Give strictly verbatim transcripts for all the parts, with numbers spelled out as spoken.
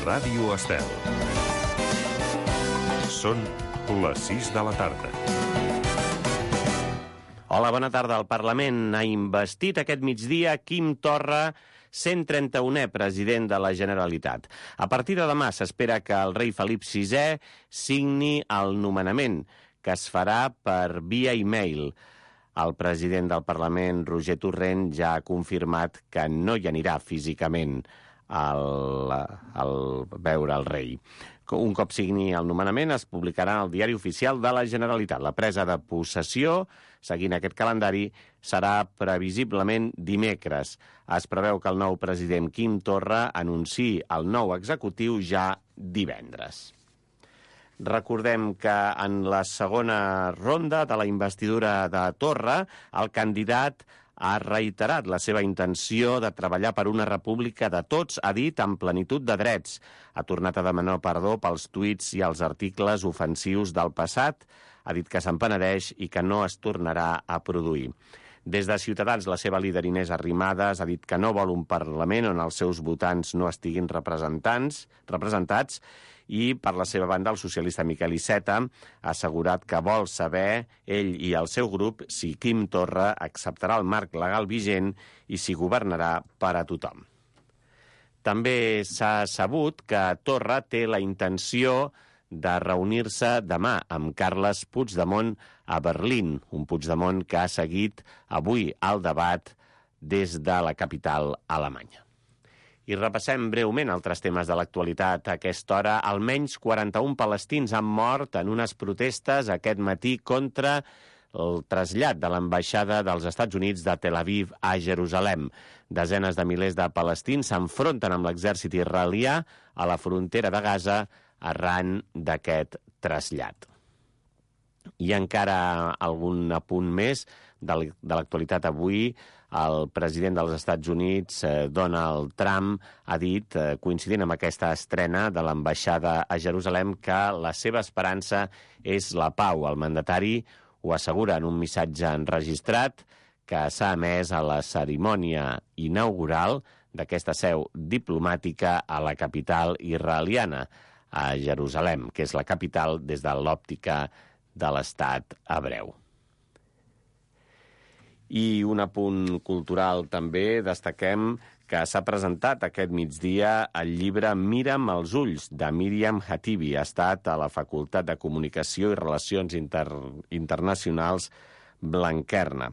Ràdio Estel. Són les sis de la tarda. Hola, bona tarda. El Parlament ha investit aquest migdia Quim Torra, cent trenta-unè president de la Generalitat. A partir de demà s'espera que el rei Felip sisè signi el nomenament, que es farà per via e-mail. El president del Parlament, Roger Torrent, ja ha confirmat que no hi anirà físicament al, al veure el rei. Un cop signi el nomenament, es publicarà al Diari Oficial de la Generalitat. La presa de possessió, seguint aquest calendari, serà previsiblement dimecres. Es preveu que el nou president Quim Torra anunciï el nou executiu ja divendres. Recordem que en la segona ronda de la investidura de Torra, el candidat ha reiterat la seva intenció de treballar per una república de tots, ha dit, amb plenitud de drets. Ha tornat a demanar perdó pels tuits i els articles ofensius del passat, ha dit que se'n penedeix i que no es tornarà a produir. Des de Ciutadans, la seva líder Inés Arrimadas ha dit que no vol un Parlament on els seus votants no estiguin representants, representats, i per la seva banda el socialista Miquel Iceta ha assegurat que vol saber, ell i el seu grup, si Quim Torra acceptarà el marc legal vigent i si governarà per a tothom. També s'ha sabut que Torra té la intenció de reunir-se demà amb Carles Puigdemont a Berlín, un Puigdemont que ha seguit avui el debat des de la capital alemanya. I repassem breument altres temes de l'actualitat. A aquesta hora, almenys quaranta-un palestins han mort en unes protestes aquest matí contra el trasllat de l'ambaixada dels Estats Units de Tel Aviv a Jerusalem. Desenes de milers de palestins s'enfronten amb l'exèrcit israelià a la frontera de Gaza arran d'aquest trasllat. I encara algun apunt més de l'actualitat avui. El president dels Estats Units, Donald Trump, ha dit, coincidint amb aquesta estrena de l'ambaixada a Jerusalem, que la seva esperança és la pau. El mandatari ho assegura en un missatge enregistrat que s'ha emès a la cerimònia inaugural d'aquesta seu diplomàtica a la capital israeliana, a Jerusalem, que és la capital des de l'òptica de l'estat hebreu. I un apunt cultural també, destaquem que s'ha presentat aquest migdia el llibre Mira'm als ulls, de Míriam Hatibi. Ha estat a la Facultat de Comunicació i Relacions Inter... Internacionals Blanquerna.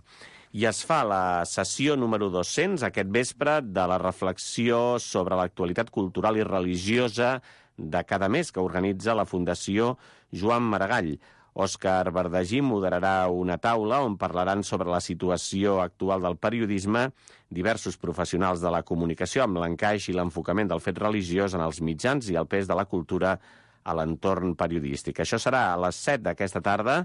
I es fa la sessió número dos-cents aquest vespre de la reflexió sobre l'actualitat cultural i religiosa de cada mes que organitza la Fundació Joan Maragall. Òscar Verdagí moderarà una taula on parlaran sobre la situació actual del periodisme, diversos professionals de la comunicació amb l'encaix i l'enfocament del fet religiós en els mitjans i el pes de la cultura a l'entorn periodístic. Això serà a les set d'aquesta tarda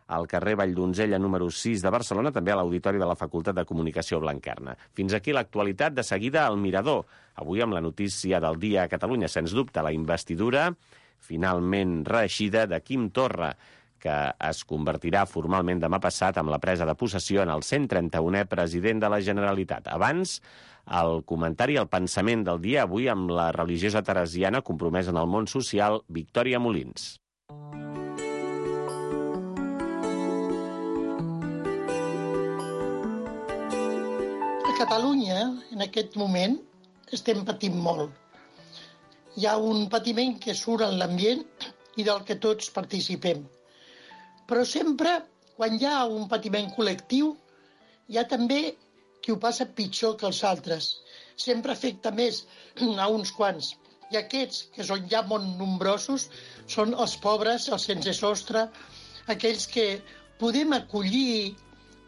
al carrer Valldonzella número sis de Barcelona, també a l'Auditori de la Facultat de Comunicació Blanquerna. Fins aquí l'actualitat, de seguida al Mirador. Avui amb la notícia del dia a Catalunya, sens dubte, la investidura finalment reeixida de Quim Torra, que es convertirà formalment demà passat amb la presa de possessió en el cent trenta-unè president de la Generalitat. Abans, el comentari i el pensament del dia avui amb la religiosa teresiana compromesa en el món social, Victòria Molins. A Catalunya, en aquest moment, estem patint molt. Hi ha un patiment que surt en l'ambient i del que tots participem. Però sempre, quan hi ha un patiment col·lectiu, hi ha també qui ho passa pitjor que els altres. Sempre afecta més a uns quants. I aquests, que són ja molt nombrosos, són els pobres, els sense sostre, aquells que podem acollir,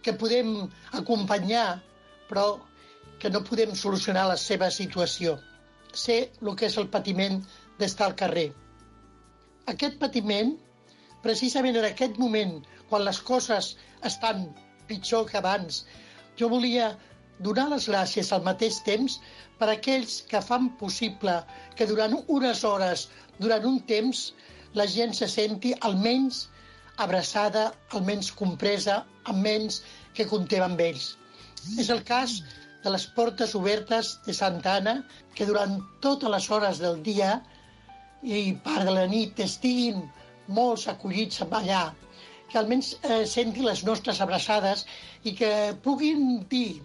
que podem acompanyar, però que no podem solucionar la seva situació. Sé el que és el patiment d'estar al carrer. Aquest patiment, precisament en aquest moment, quan les coses estan pitjor que abans, jo volia donar les gràcies al mateix temps per a aquells que fan possible que durant unes hores, durant un temps, la gent se senti almenys abraçada, almenys compresa, almenys que comptem amb ells. És el cas de les portes obertes de Santa Anna, que durant totes les hores del dia i part de la nit estiguin molts acollits allà, que almenys eh, sentin les nostres abraçades i que puguin dir,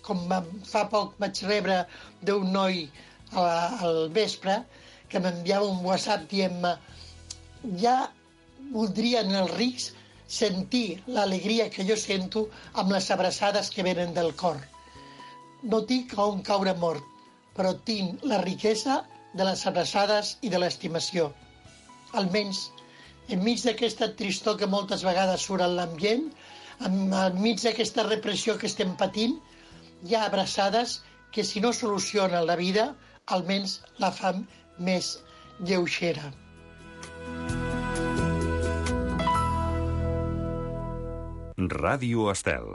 com fa poc vaig rebre d'un noi al vespre, que m'enviava un WhatsApp dient-me ja voldrien els rics sentir l'alegria que jo sento amb les abraçades que venen del cor. No tinc on caure mort, però tinc la riquesa de les abraçades i de l'estimació. Almenys, enmig d'aquesta tristor que moltes vegades surt en l'ambient, enmig d'aquesta repressió que estem patint, hi ha abraçades que, si no solucionen la vida, almenys la fan més lleugera. Ràdio Estel.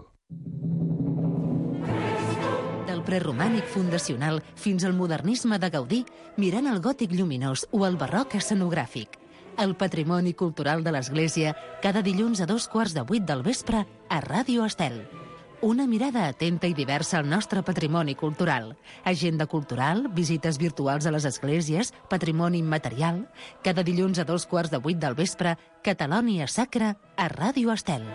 Del preromànic fundacional fins al modernisme de Gaudí, mirant el gòtic lluminós o el barroc escenogràfic. El patrimoni cultural de l'Església, cada dilluns a dos quarts de vuit del vespre a Ràdio Estel. Una mirada atenta i diversa al nostre patrimoni cultural. Agenda cultural, visites virtuals a les esglésies, patrimoni immaterial. Cada dilluns a dos quarts de vuit del vespre, Catalònia Sacra a Ràdio Estel.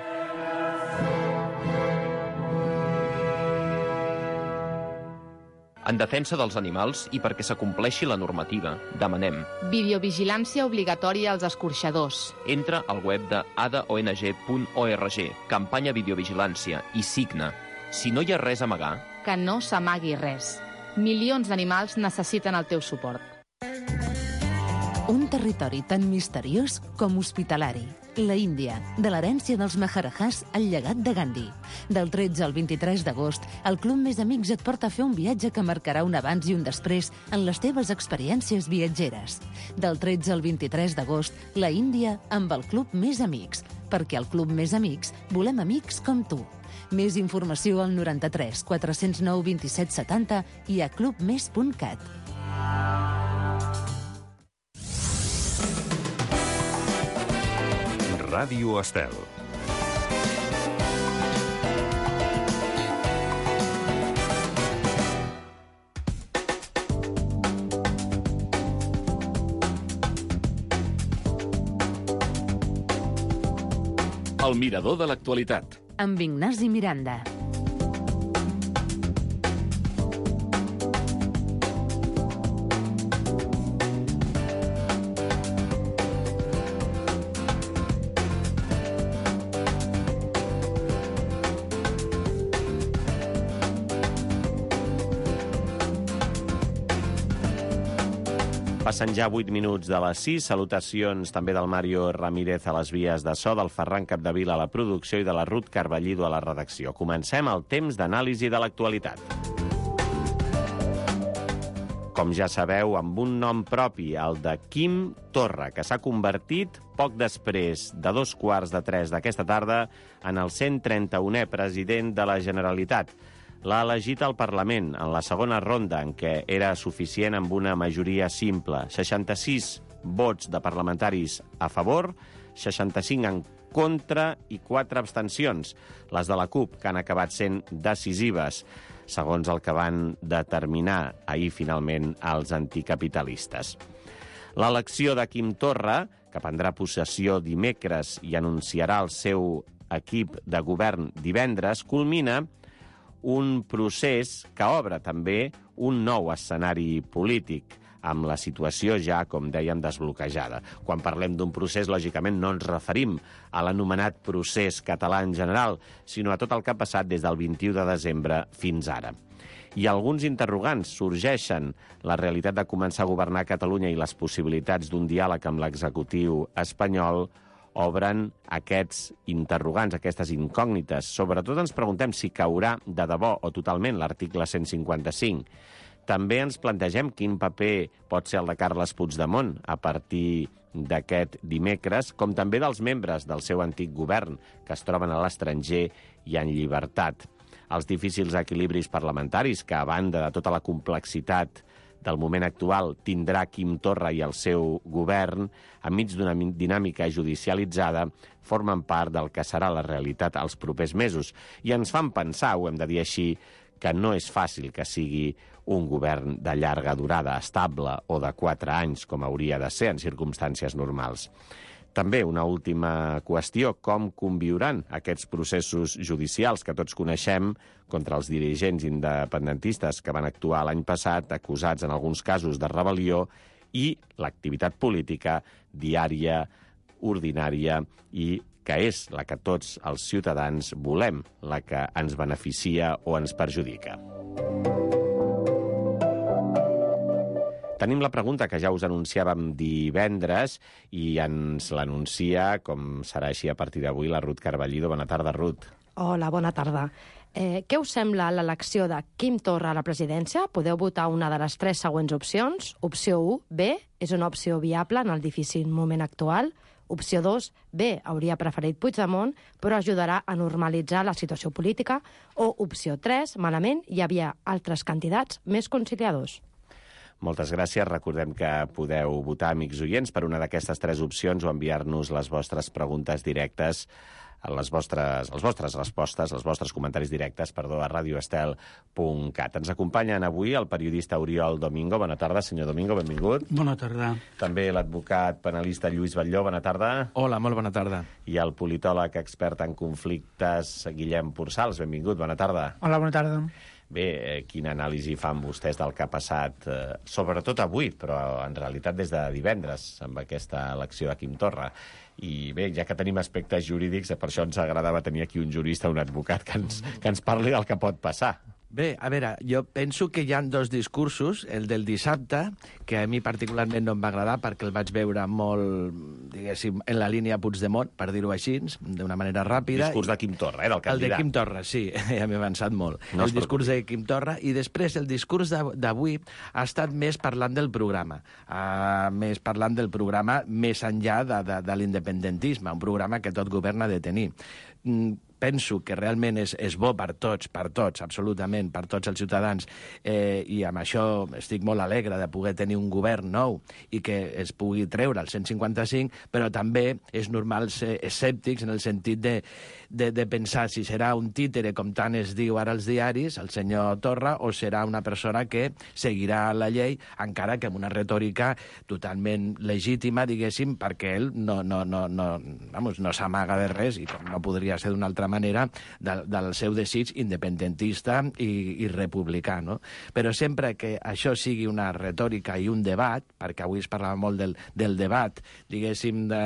En defensa dels animals i perquè s'acompleixi la normativa, demanem videovigilància obligatòria als escorxadors. Entra al web de a d o n g punt org, campanya videovigilància, i signa. Si no hi ha res a amagar... Que no s'amagui res. Milions d'animals necessiten el teu suport. Un territori tan misteriós com hospitalari. La Índia, de l'herència dels Maharajahs al llegat de Gandhi. Del tretze al vint-i-tres d'agost, el Club Més Amics et porta a fer un viatge que marcarà un abans i un després en les teves experiències viatgeres. Del tretze al vint-i-tres d'agost, la Índia amb el Club Més Amics. Perquè al Club Més Amics volem amics com tu. Més informació al noranta-tres quatre-cents nou vint-i-set setanta i a club més punt cat. Ràdio Estel. El mirador de l'actualitat. Amb Ignasi Miranda. Passen ja vuit minuts de les sis. Salutacions també del Mario Ramírez a les vies de so, del Ferran Capdevila a la producció i de la Ruth Carballido a la redacció. Comencem el temps d'anàlisi de l'actualitat. Com ja sabeu, amb un nom propi, el de Quim Torra, que s'ha convertit, poc després de dos quarts de tres d'aquesta tarda, en el cent trenta-unè president de la Generalitat. L'ha elegit al Parlament en la segona ronda, en què era suficient amb una majoria simple. seixanta-sis vots de parlamentaris a favor, seixanta-cinc en contra i quatre abstencions, les de la CUP, que han acabat sent decisives, segons el que van determinar ahir finalment els anticapitalistes. L'elecció de Quim Torra, que prendrà possessió dimecres i anunciarà el seu equip de govern divendres, culmina un procés que obre també un nou escenari polític, amb la situació ja, com dèiem, desbloquejada. Quan parlem d'un procés, lògicament, no ens referim a l'anomenat procés català en general, sinó a tot el que ha passat des del vint-i-u de desembre fins ara. I alguns interrogants sorgeixen: la realitat de començar a governar Catalunya i les possibilitats d'un diàleg amb l'executiu espanyol obren aquests interrogants, aquestes incògnites. Sobretot ens preguntem si caurà de debò o totalment l'article cent cinquanta-cinc. També ens plantegem quin paper pot ser el de Carles Puigdemont a partir d'aquest dimecres, com també dels membres del seu antic govern, que es troben a l'estranger i en llibertat. Els difícils equilibris parlamentaris que, a banda de tota la complexitat del moment actual, tindrà Quim Torra i el seu govern, enmig d'una dinàmica judicialitzada, formen part del que serà la realitat als propers mesos. I ens fan pensar, ho hem de dir així, que no és fàcil que sigui un govern de llarga durada, estable o de quatre anys, com hauria de ser en circumstàncies normals. També una última qüestió, com conviuran aquests processos judicials que tots coneixem contra els dirigents independentistes que van actuar l'any passat, acusats en alguns casos de rebel·lió, i l'activitat política diària, ordinària i que és la que tots els ciutadans volem, la que ens beneficia o ens perjudica. Tenim la pregunta que ja us anunciàvem divendres i ens l'anuncia, com serà així a partir d'avui, la Ruth Carballido. Bona tarda, Ruth. Hola, bona tarda. Eh, què us sembla l'elecció de Quim Torra a la presidència? Podeu votar una de les tres següents opcions. Opció u, B, és una opció viable en el difícil moment actual. Opció dos, B, hauria preferit Puigdemont, però ajudarà a normalitzar la situació política. O opció tres, malament, hi havia altres candidats més conciliadors. Moltes gràcies. Recordem que podeu votar, amics oients, per una d'aquestes tres opcions o enviar-nos les vostres preguntes directes, les vostres, les vostres respostes, els vostres comentaris directes, perdó, a radio estel punt cat. Ens acompanyen avui el periodista Oriol Domingo. Bona tarda, senyor Domingo, benvingut. Bona tarda. També l'advocat penalista Lluís Batlló. Bona tarda. Hola, molt bona tarda. I el politòleg expert en conflictes Guillem Pursals. Benvingut, bona tarda. Hola, bona tarda. Bé, eh, quina anàlisi fan vostès del que ha passat, eh, sobretot avui, però en realitat des de divendres, amb aquesta elecció de Quim Torra. I bé, ja que tenim aspectes jurídics, per això ens agradava tenir aquí un jurista, un advocat, que ens, que ens parli del que pot passar. Bé, a veure, jo penso que hi ha dos discursos. El del dissabte, que a mi particularment no em va agradar perquè el vaig veure molt, diguéssim, en la línia Puigdemont, per dir-ho així, d'una manera ràpida. El discurs de Quim Torra, eh, del candidat. El de Quim Torra, sí, ja m'he avançat molt. No el discurs de Quim Torra, i després el discurs d'avui ha estat més parlant del programa, uh, més parlant del programa més enllà de, de, de l'independentisme, un programa que tot govern ha de tenir. Mm, penso que realment és, és bo per tots, per tots, absolutament, per tots els ciutadans, eh, i amb això estic molt alegre de poder tenir un govern nou i que es pugui treure el cent cinquanta-cinc, però també és normal ser escèptics en el sentit de, de, de pensar si serà un títere, com tant es diu ara als diaris, el senyor Torra, o serà una persona que seguirà la llei, encara que amb una retòrica totalment legítima, diguéssim, perquè ell no, no, no, no, vamos, no s'amaga de res, i no podria ser d'una altra manera, del, del seu desig independentista i, i republicà, no? Però sempre que això sigui una retòrica i un debat, perquè avui es parlava molt del, del debat, diguéssim, de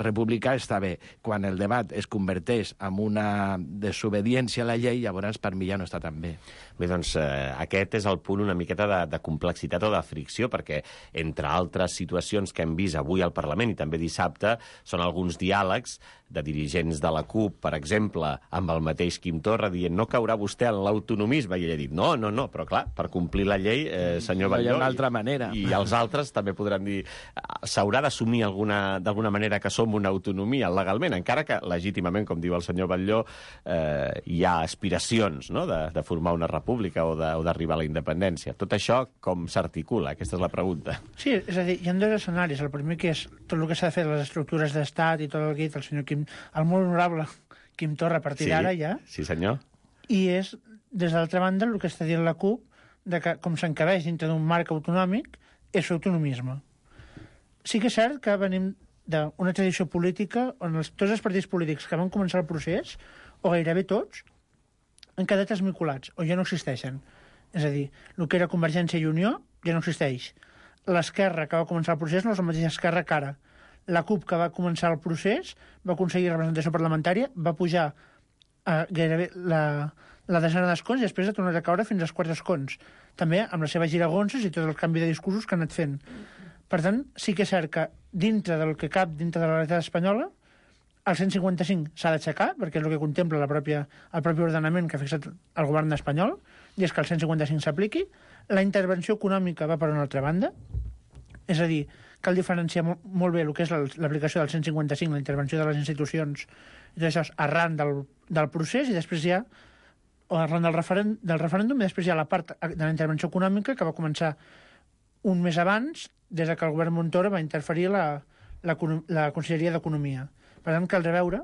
republicà, està bé. Quan el debat es converteix en una desobediència a la llei, llavors per mi ja no està tan bé. Bé, doncs eh, aquest és el punt una miqueta de, de complexitat o de fricció, perquè entre altres situacions que hem vist avui al Parlament i també dissabte són alguns diàlegs de dirigents de la CUP, per exemple, amb el mateix Quim Torra, dient no caurà vostè en l'autonomisme, i ell ha dit no, no, no, però clar, per complir la llei, eh, senyor Batlló... No hi ha una altra manera. I, i els altres també podran dir s'haurà d'assumir d'alguna manera que som una autonomia legalment, encara que legítimament, com diu el senyor Batlló, eh, hi ha aspiracions, no?, de, de formar una república o d'arribar a la independència. Tot això com s'articula? Aquesta és la pregunta. Sí, és a dir, hi ha dos escenaris. El primer, que és tot el que s'ha de fer de les estructures d'estat i tot el que ha dit el senyor Quim, el molt honorable Quim Torra, a partir sí, d'ara ja. Sí, senyor. I és, des de l'altra banda, el que està dient la CUP, de que, com s'encabeix dintre d'un marc autonòmic, és autonomisme. Sí que és cert que venim d'una tradició política on els, tots els partits polítics que van començar el procés, o gairebé tots, han quedat esmicolats, o ja no existeixen. És a dir, el que era Convergència i Unió ja no existeix. L'esquerra que va començar el procés no és la mateixa esquerra que ara. La CUP, que va començar el procés, va aconseguir representació parlamentària, va pujar a gairebé la, la desena d'escons i després ha tornat a caure fins als quatre escons. També amb les seves giragonses i tot el canvi de discursos que ha anat fent. Per tant, sí que és cert que dintre del que cap, dintre de la realitat espanyola, el cent cinquanta-cinc s'ha d'aixecar, perquè és el que contempla la pròpia, el propi ordenament que ha fixat el govern espanyol, i és que el cent cinquanta-cinc s'apliqui. La intervenció econòmica va per una altra banda, és a dir, cal diferenciar molt, molt bé el que és l'aplicació del cent cinquanta-cinc, la intervenció de les institucions i tot això arran del, del procés, i després hi ha, o arran del, referen, del referèndum, i després hi ha la part de la intervenció econòmica que va començar un mes abans, des que el govern Montoro va interferir la, la, la Conselleria d'Economia. Per tant, caldrà veure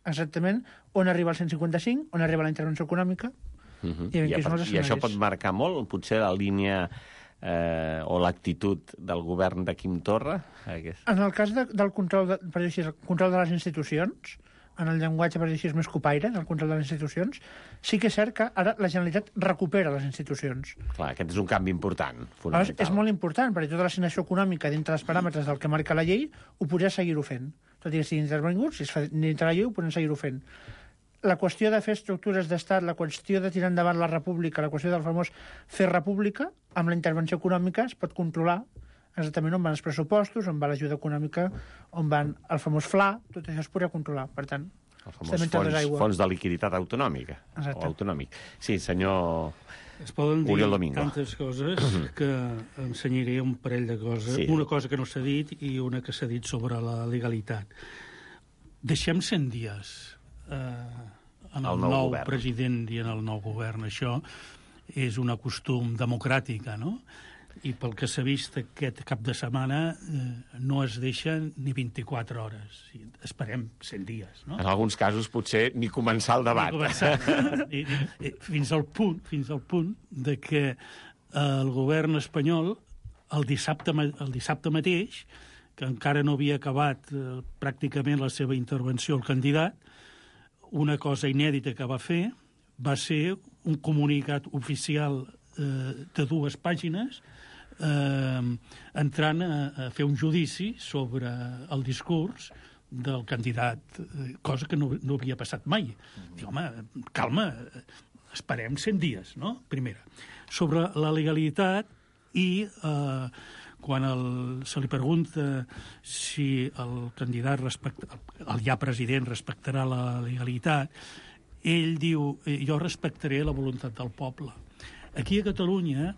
exactament on arriba el cent cinquanta-cinc, on arriba la intervenció econòmica, Uh-huh. I, I, per, I això pot marcar molt, potser, la línia eh, o l'actitud del govern de Quim Torra? Aquest. En el cas de, del control de, per dir així, el control de les institucions, en el llenguatge, per dir així, més copaire, el control de les institucions, sí que és cert que ara la Generalitat recupera les institucions. Clar, aquest és un canvi important, fonamental. És molt important, perquè tota l'assignació econòmica dintre dels paràmetres del que marca la llei ho podria seguir-ho fent. Tot i que sigui intervingut, si es fa dintre la llei ho podem seguir-ho fent. La qüestió de fer estructures d'estat, la qüestió de tirar endavant la república, la qüestió del famós fer república, amb la intervenció econòmica es pot controlar exactament on van els pressupostos, on va l'ajuda econòmica, on van el famós F L A, tot això es podria controlar. Per tant, el famós fons, fons de liquiditat autonòmica. Exacte. O autonòmic. Sí, senyor es poden dir Oriol Domingo. Tantes coses que ensenyaré un parell de coses. Sí. Una cosa que no s'ha dit i una que s'ha dit sobre la legalitat. Deixem cent dies eh, en el, el nou, nou president i en el nou govern. Això és un costum democràtica, no? I pel que s'ha vist aquest cap de setmana eh, no es deixen ni vint-i-quatre hores. Esperem cent dies, no? En alguns casos potser ni començar el debat. Ni començar. I, i, fins al punt, fins al punt de que eh, el govern espanyol el dissabte, el dissabte mateix, que encara no havia acabat eh, pràcticament la seva intervenció el candidat, una cosa inèdita que va fer va ser un comunicat oficial eh, de dues pàgines eh, entrant a, a fer un judici sobre el discurs del candidat, eh, cosa que no, no havia passat mai. Dic, home, calma, esperem cent dies, no? Primera. Sobre la legalitat i eh, quan el, se li pregunta si el candidat, respecta, el ja president, respectarà la legalitat, ell diu, jo respectaré la voluntat del poble. Aquí a Catalunya,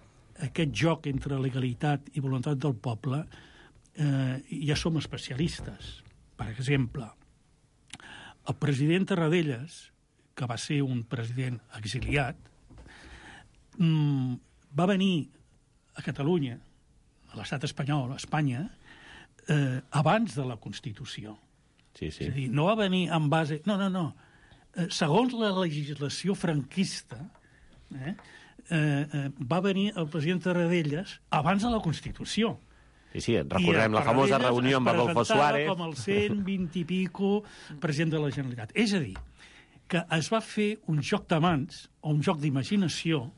aquest joc entre legalitat i voluntat del poble, eh, ja som especialistes. Per exemple, el president Tarradellas, que va ser un president exiliat, mmm, va venir a Catalunya, a l'estat espanyol, a Espanya, eh, abans de la Constitució. Sí, sí. És a dir, no va venir en base... No, no, no. Eh, segons la legislació franquista, eh, eh, eh, va venir el president Tarradellas abans de la Constitució. Sí, sí, recordem la famosa reunió amb Adolfo Suárez. Com el cent vint i pico president de la Generalitat. És a dir, que es va fer un joc de mans, o un joc d'imaginació,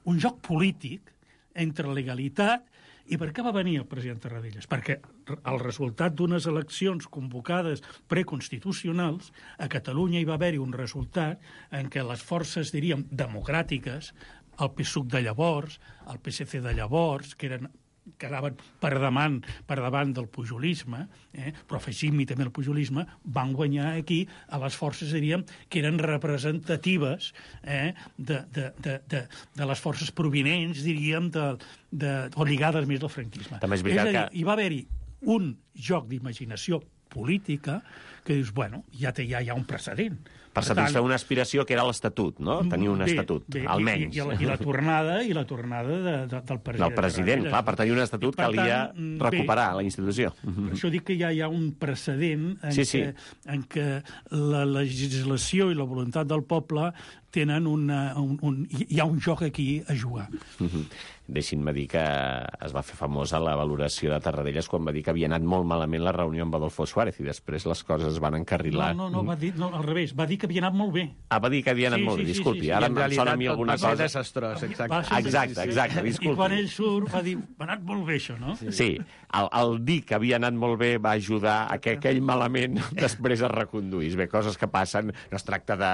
un joc polític entre legalitat. I per què va venir el president Tarradellas? Perquè el resultat d'unes eleccions convocades preconstitucionals, a Catalunya hi va haver-hi un resultat en què les forces, diríem, democràtiques, el P SUC de llavors, el P S C de llavors, que eren quedaven per davant, per davant del pujolisme, eh? però afegim-hi també el pujolisme, van guanyar aquí a les forces, diríem, que eren representatives eh? de, de, de, de, de les forces provinents, diríem, de, de, o lligades més al franquisme. També és veritat és a dir, que... hi va haver-hi un joc d'imaginació política que dius, bueno, ja té ja, ja un precedent. Per satisfer una aspiració que era l'Estatut, no? Tenir un bé, estatut, bé, almenys. I, i, la, I la tornada, i la tornada de, de, del president. Del president, clar, per tenir un estatut calia recuperar bé, la institució. Per això dic que ja hi ha un precedent en, sí, sí. Que, en què la legislació i la voluntat del poble tenen una, un, un... Hi ha un joc aquí a jugar. Mm-hmm. Deixin-me dir que es va fer famosa la valoració de Tarradellas quan va dir que havia anat molt malament la reunió amb Adolfo Suárez i després les coses es van encarrilar. No, no, no, va dir, no al revés, va dir que havia anat molt bé. Ah, va dir que havia anat sí, molt sí, bé, disculpi, sí, sí, sí. ara en em sona a mi alguna cosa... desastrós, exacte. Exacte, exacte, disculpi. I quan ell surt va dir, va anat molt bé això, no? Sí, el, el dir que havia anat molt bé va ajudar a que aquell malament després es reconduís. Bé, coses que passen, no es tracta de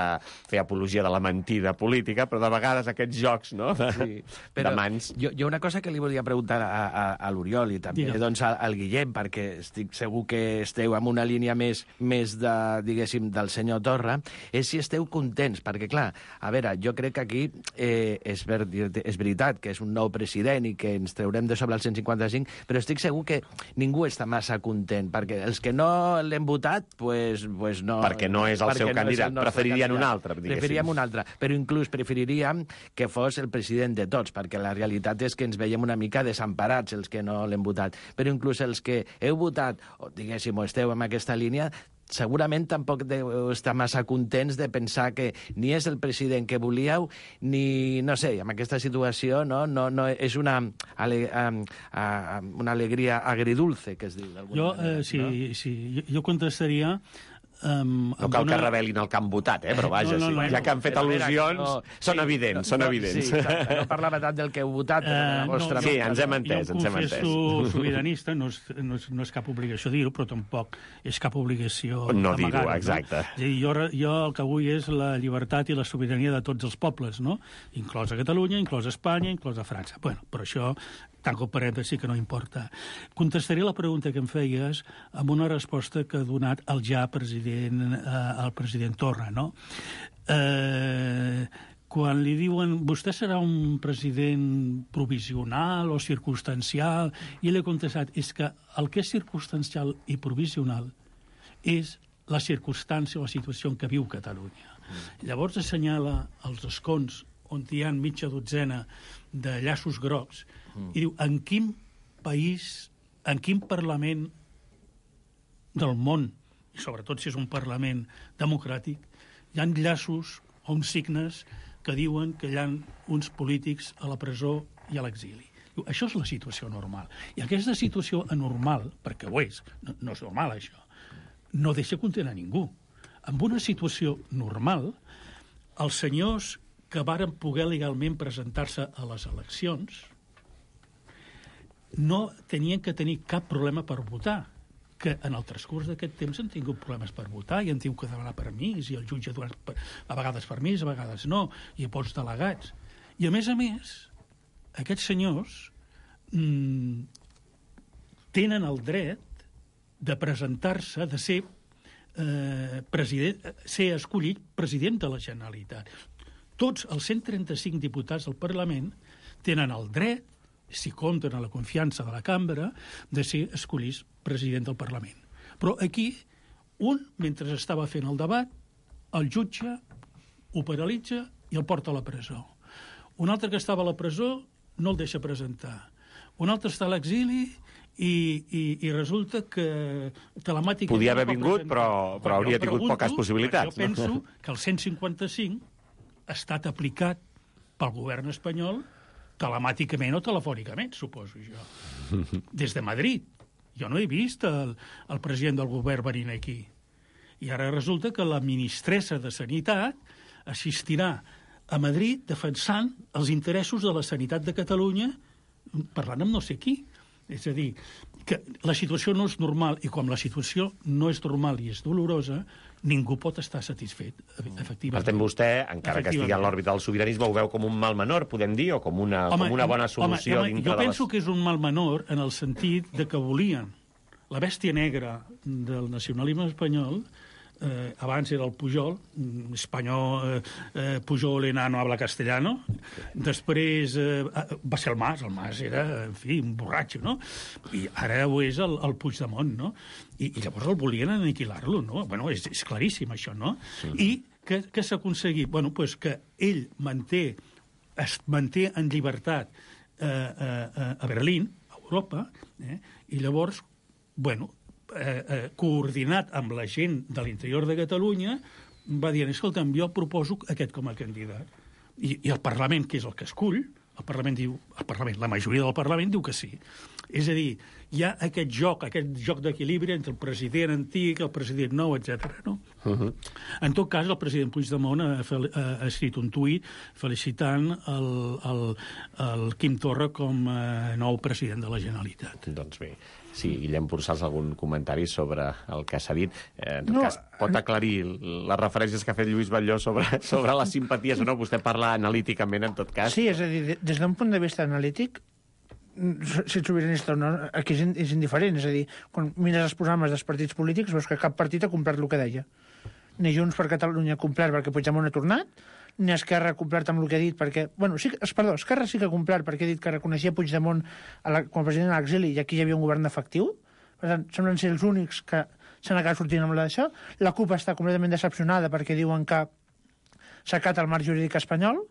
fer apologia de la mentida política, però de vegades aquests jocs, no?, de, sí, però de mans... Jo, jo una cosa que li volia preguntar a, a, a l'Oriol i també Digue'm. doncs, al, al Guillem, perquè estic segur que esteu en una línia més, més de, diguéssim, del senyor Torra, és si esteu contents, perquè, clar, a veure, jo crec que aquí eh, és, ver, és veritat que és un nou president i que ens traurem de sobre el cent cinquanta-cinc, però estic segur que ningú està massa content, perquè els que no l'hem votat, pues, pues no... Perquè no és el seu no candidat, el preferirien candidat. un altre, diguéssim. Preferiríem un altre, però inclús preferiríem que fos el president de tots, perquè la realitat és que ens veiem una mica desemparats els que no l'hem votat. Però inclús els que heu votat, o diguéssim, o esteu en aquesta línia, segurament tampoc deu estar massa contents de pensar que ni és el president que volíeu, ni, no sé, amb aquesta situació no, no, no és una, ale, um, uh, una alegria agridulce, que es diu d'alguna jo, manera. Eh, sí, no? sí, jo, jo contestaria... Um, no cal una... que revelin el que han votat, eh? Però vaja, no, no, no, sí, ja que han fet al·lusions, no, són sí, evidents, no, són evidents. Sí, exacte, no parlava tant del que heu votat, però de la vostra... Uh, no, sí, ens hem entès, ens hem entès. Jo em confesso sobiranista, no és, no, és, no és cap obligació dir-ho, però tampoc és cap obligació no dir-ho, no? exacte. És a dir, jo, jo el que vull és la llibertat i la sobirania de tots els pobles, no? Inclosa Catalunya, inclosa Espanya, inclosa França. Bueno, però això... tanco parèntesi que no importa. Contestaré la pregunta que em feies amb una resposta que ha donat el ja president, eh, el president Torra, no? Eh, quan li diuen vostè serà un president provisional o circumstancial, i ell ha contestat, és que el que és circumstancial i provisional és la circumstància o la situació en què viu Catalunya. Mm. Llavors assenyala els escons on hi ha mitja dotzena de llaços grocs, mm. i diu, en quin país, en quin Parlament del món, i sobretot si és un Parlament democràtic, hi ha llaços o uns signes que diuen que hi ha uns polítics a la presó i a l'exili. Diu, això és la situació normal. I aquesta situació anormal, perquè ho és, no, no és normal això, no deixa contenir a ningú. En una situació normal, els senyors que varen poder legalment presentar-se a les eleccions no tenien que tenir cap problema per votar, que en el transcurs d'aquest temps han tingut problemes per votar i han tingut que demanar permís, i el jutge dona a vegades permís, a vegades no, i pots delegats. I a més a més, aquests senyors mmm, tenen el dret de presentar-se, de ser, eh, president, ser escollit president de la Generalitat. Tots els cent trenta-cinc diputats del Parlament tenen el dret, si compten a la confiança de la cambra, de ser escollits president del Parlament. Però aquí, un, mentre estava fent el debat, el jutge ho paralitza i el porta a la presó. Un altre que estava a la presó no el deixa presentar. Un altre està a l'exili i, i, i resulta que telemàticament... Podia haver vingut, però, però hauria tingut pregunto, poques possibilitats. Jo penso no? que el cent cinquanta-cinc ha estat aplicat pel govern espanyol telemàticament o telefònicament, suposo jo. Des de Madrid. Jo no he vist el, el president del govern venint aquí. I ara resulta que la ministressa de Sanitat assistirà a Madrid defensant els interessos de la sanitat de Catalunya parlant amb no sé qui. És a dir, que la situació no és normal, i quan la situació no és normal i és dolorosa, ningú pot estar satisfet, efectivament. Per tant, vostè, encara que estigui en l'òrbita del sobiranisme, ho veu com un mal menor, podem dir, o com una, home, com una bona solució home, home, dintre jo de les... penso que és un mal menor en el sentit de que volien la bèstia negra del nacionalisme espanyol. Eh, abans era el Pujol, espanyol, eh, eh, Pujol enano habla castellano, després eh, va ser el Mas, el Mas era, en fi, un borratxo, no? I ara ho és el, el Puigdemont, no? I, i llavors el volien aniquilar-lo, no? Bueno, és, és claríssim això, no? Sí. I què, què s'ha aconseguit? Bueno, pues que ell manté, es manté en llibertat eh, eh, a Berlín, a Europa, eh? I llavors, bueno, Eh, eh, coordinat amb la gent de l'interior de Catalunya, va dir, escolta'm, jo proposo aquest com a candidat. I, i el Parlament, que és el que escull, el Parlament diu, el Parlament, la majoria del Parlament diu que sí. És a dir, hi ha aquest joc, aquest joc d'equilibri entre el president antic, el president nou, etcètera. No? Uh-huh. En tot cas, el president Puigdemont ha, ha, ha escrit un tuit felicitant el, el, el Quim Torra com a nou president de la Generalitat. Doncs bé. Sí, Guillem Pursals, algun comentari sobre el que s'ha dit? Eh, en tot no, cas, pot aclarir les referències que ha fet Lluís Batlló sobre, sobre les simpaties o no? Vostè parla analíticament, en tot cas. Sí, és a dir, des d'un punt de vista analític, si ets sobiranista o no, aquí és indiferent. És a dir, quan mires els programes dels partits polítics, veus que cap partit ha complert el que deia. Ni Junts per Catalunya ha complert perquè Puigdemont ha tornat, ni Esquerra ha complert amb el que ha dit perquè... Bueno, sí, perdó, Esquerra sí que ha complert perquè ha dit que reconeixia Puigdemont a la, com a president a l'exili i aquí hi havia un govern efectiu. Per tant, semblen ser els únics que s'han acabat sortint amb d'això. La CUP està completament decepcionada perquè diuen que s'acata el marc jurídic espanyol.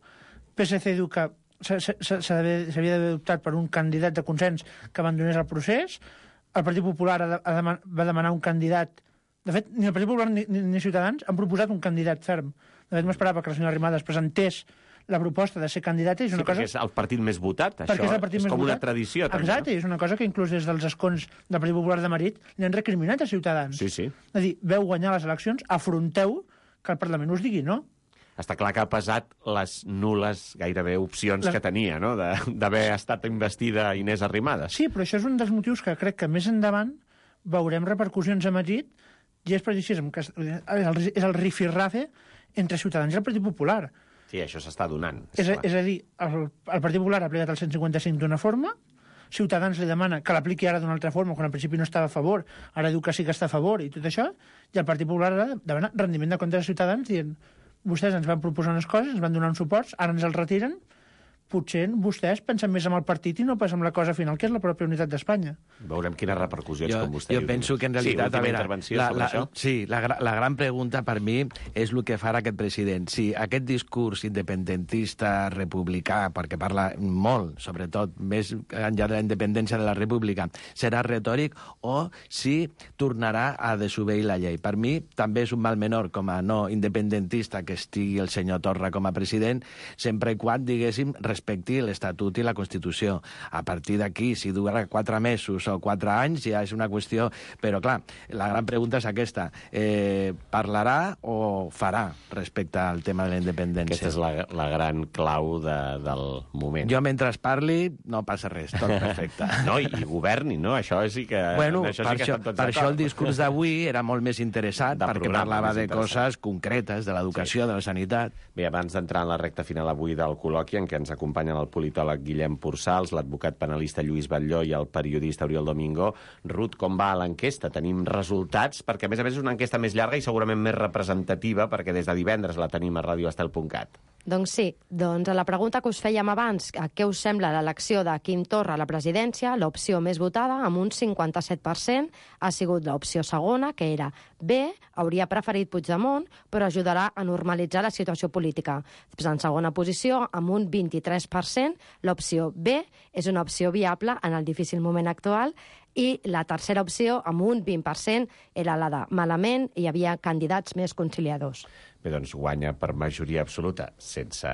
P S C diu que s'havia d'haver optat per un candidat de consens que abandonés el procés. El Partit Popular ha de, ha deman, va demanar un candidat De fet, ni el Partit Popular ni, ni, ni Ciutadans han proposat un candidat ferm. De fet, m'esperava que la senyora Arrimadas presentés la proposta de ser candidata. És una sí, cosa... perquè és el partit més votat, això. És, el partit és més com votat. Una tradició. També, exacte, no? És una cosa que inclús des dels escons del Partit Popular de Madrid li han recriminat a Ciutadans. Sí, sí. És a dir, veu guanyar les eleccions, afronteu que el Parlament us digui no. Està clar que ha pesat les nules gairebé opcions les... que tenia, no?, d'haver estat investida Inés Arrimadas. Sí, però això és un dels motius que crec que més endavant veurem repercussions a Madrid, i és precisament que és el rifirrafe entre Ciutadans i el Partit Popular. Sí, això s'està donant. És, és, és a dir, el, el Partit Popular ha aplicat el cent cinquanta-cinc d'una forma, Ciutadans li demana que l'apliqui ara d'una altra forma, quan al principi no estava a favor, ara diu que sí que està a favor i tot això, i el Partit Popular ara demana rendiment de comptes de Ciutadans dient vostès ens van proposar unes coses, ens van donar uns suports, ara ens els retiren, potser vostès pensen més en el partit i no pas en la cosa final, que és la pròpia unitat d'Espanya. Veurem quines repercussions, jo, com vostè jo diu. penso que en realitat... Sí, a veure, intervenció la, sobre la, això. Sí, la, la gran pregunta per mi és el que farà aquest president. Si aquest discurs independentista, republicà, perquè parla molt, sobretot, més enllà de la independència de la república, serà retòric o si tornarà a desobeir la llei. Per mi també és un mal menor com a no independentista que estigui el senyor Torra com a president, sempre i quan, diguéssim, respecti l'Estatut i la Constitució. A partir d'aquí, si durarà quatre mesos o quatre anys, ja és una qüestió... Però, clar, la gran pregunta és aquesta. Eh, parlarà o farà respecte al tema de la independència? Aquesta és la, la gran clau de, del moment. Jo, mentre parli, no passa res, tot perfecte. No, i, i governi, no? Això sí que... Bueno, això per, sí que això, tots per això el discurs d'avui era molt més interessat, de perquè programa, parlava de interessant. coses concretes, de l'educació, sí. de la sanitat. Bé, abans d'entrar en la recta final avui del col·loqui, en què ens acompanyen el politòleg Guillem Pursals, l'advocat penalista Lluís Batlló i el periodista Oriol Domingo. Ruth, com va l'enquesta? Tenim resultats? Perquè, a més a més, és una enquesta més llarga i segurament més representativa, perquè des de divendres la tenim a radio estel punt cat. Doncs sí, doncs a la pregunta que us fèiem abans, a què us sembla l'elecció de Quim Torra a la presidència, l'opció més votada, amb un cinquanta-set per cent, ha sigut l'opció segona, que era B, hauria preferit Puigdemont, però ajudarà a normalitzar la situació política. Després, en segona posició, amb un vint-i-tres per cent, l'opció B és una opció viable en el difícil moment actual, i la tercera opció, amb un vint per cent, era la de malament, hi havia candidats més conciliadors. Bé, doncs guanya per majoria absoluta, sense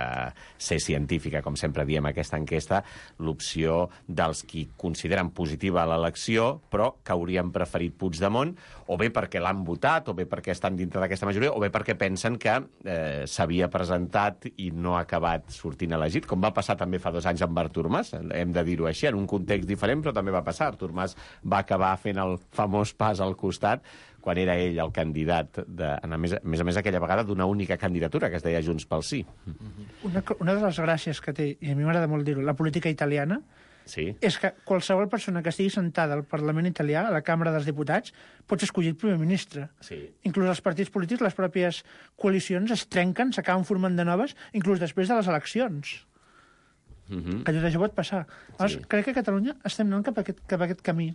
ser científica, com sempre diem aquesta enquesta, l'opció dels qui consideren positiva l'elecció, però que haurien preferit Puigdemont, o bé perquè l'han votat, o bé perquè estan dintre d'aquesta majoria, o bé perquè pensen que eh, s'havia presentat i no ha acabat sortint elegit, com va passar també fa dos anys amb Artur Mas, hem de dir-ho així, en un context diferent, però també va passar. Artur Mas va acabar fent el famós pas al costat, quan era ell el candidat, de, a, més, a més a més aquella vegada, d'una única candidatura, que es deia Junts pel Sí. Una, una de les gràcies que té, i a mi m'agrada molt dir-ho, la política italiana, sí. és que qualsevol persona que estigui sentada al Parlament italià, a la Càmera dels Diputats, pot escollir primer ministre. Sí. Inclús els partits polítics, les pròpies coalicions es trenquen, s'acaben formant de noves, inclús després de les eleccions. Uh-huh. Que tot això pot passar. Llavors, sí. Crec que a Catalunya estem anant cap a aquest, cap a aquest camí.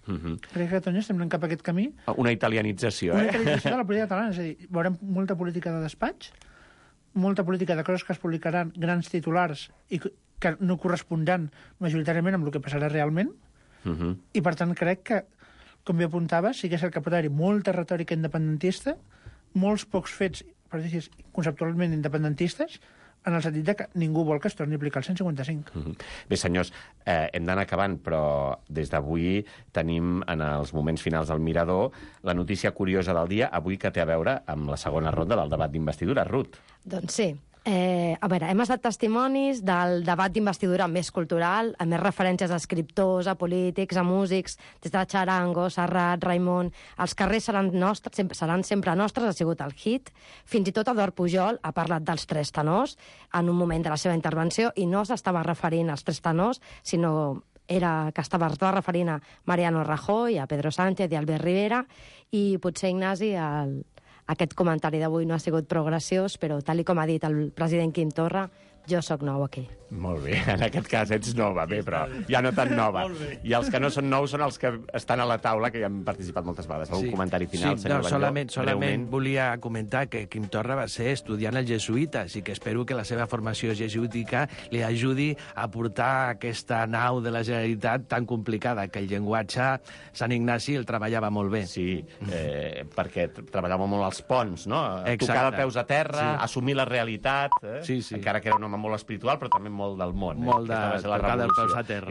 Uh-huh. Crec que a Catalunya estem anant cap a aquest camí. Una italianització, Una eh? Una italianització de la política catalana. És a dir, veurem molta política de despatx, molta política de coses que es publicaran, grans titulars, i que no correspondran majoritàriament amb el que passarà realment. Uh-huh. I, per tant, crec que, com bé apuntava, sí que és el que pot haver-hi molta retòrica independentista, molts pocs fets, per dir conceptualment independentistes, en el sentit que ningú vol que es torni a aplicar el cent cinquanta-cinc. Mm-hmm. Bé, senyors, eh, hem d'anar acabant, però des d'avui tenim, en els moments finals del Mirador, la notícia curiosa del dia, avui que té a veure amb la segona ronda del debat d'investidura. Ruth. Doncs sí. Eh, a veure, hem estat testimonis del debat d'investidura més cultural, amb més referències a escriptors, a polítics, a músics, des de Charango, Serrat, Raimon. Els carrers seran nostres, sempre, seran sempre nostres, ha sigut el hit. Fins i tot Eduard Pujol ha parlat dels tres tenors en un moment de la seva intervenció i no s'estava referint als tres tenors, sinó era que estava, estava referint a Mariano Rajoy, a Pedro Sánchez i a Albert Rivera, i potser, Ignasi, el... aquest comentari d'avui no ha sigut prou graciós, però tal com ha dit el president Quim Torra, Jo sóc nou aquí. Molt bé, en aquest cas ets nova, bé, però ja no tan nova. I els que no són nous són els que estan a la taula, que ja han participat moltes vegades. Algun Sí. comentari final, sí, senyor no, Batlló? solament, solament Breument. volia comentar que Quim Torra va ser estudiant al jesuïta, així que espero que la seva formació jesuítica li ajudi a portar aquesta nau de la Generalitat tan complicada, que el llenguatge Sant Ignasi el treballava molt bé. Sí, eh, perquè treballava molt als ponts, no? Exacte. Tocar de peus a terra, Sí. assumir la realitat, eh? Sí, sí. Encara que era un home molt espiritual, però també molt del món. Molt eh? de Aquesta va ser la tocar dels revolució. peus a terra.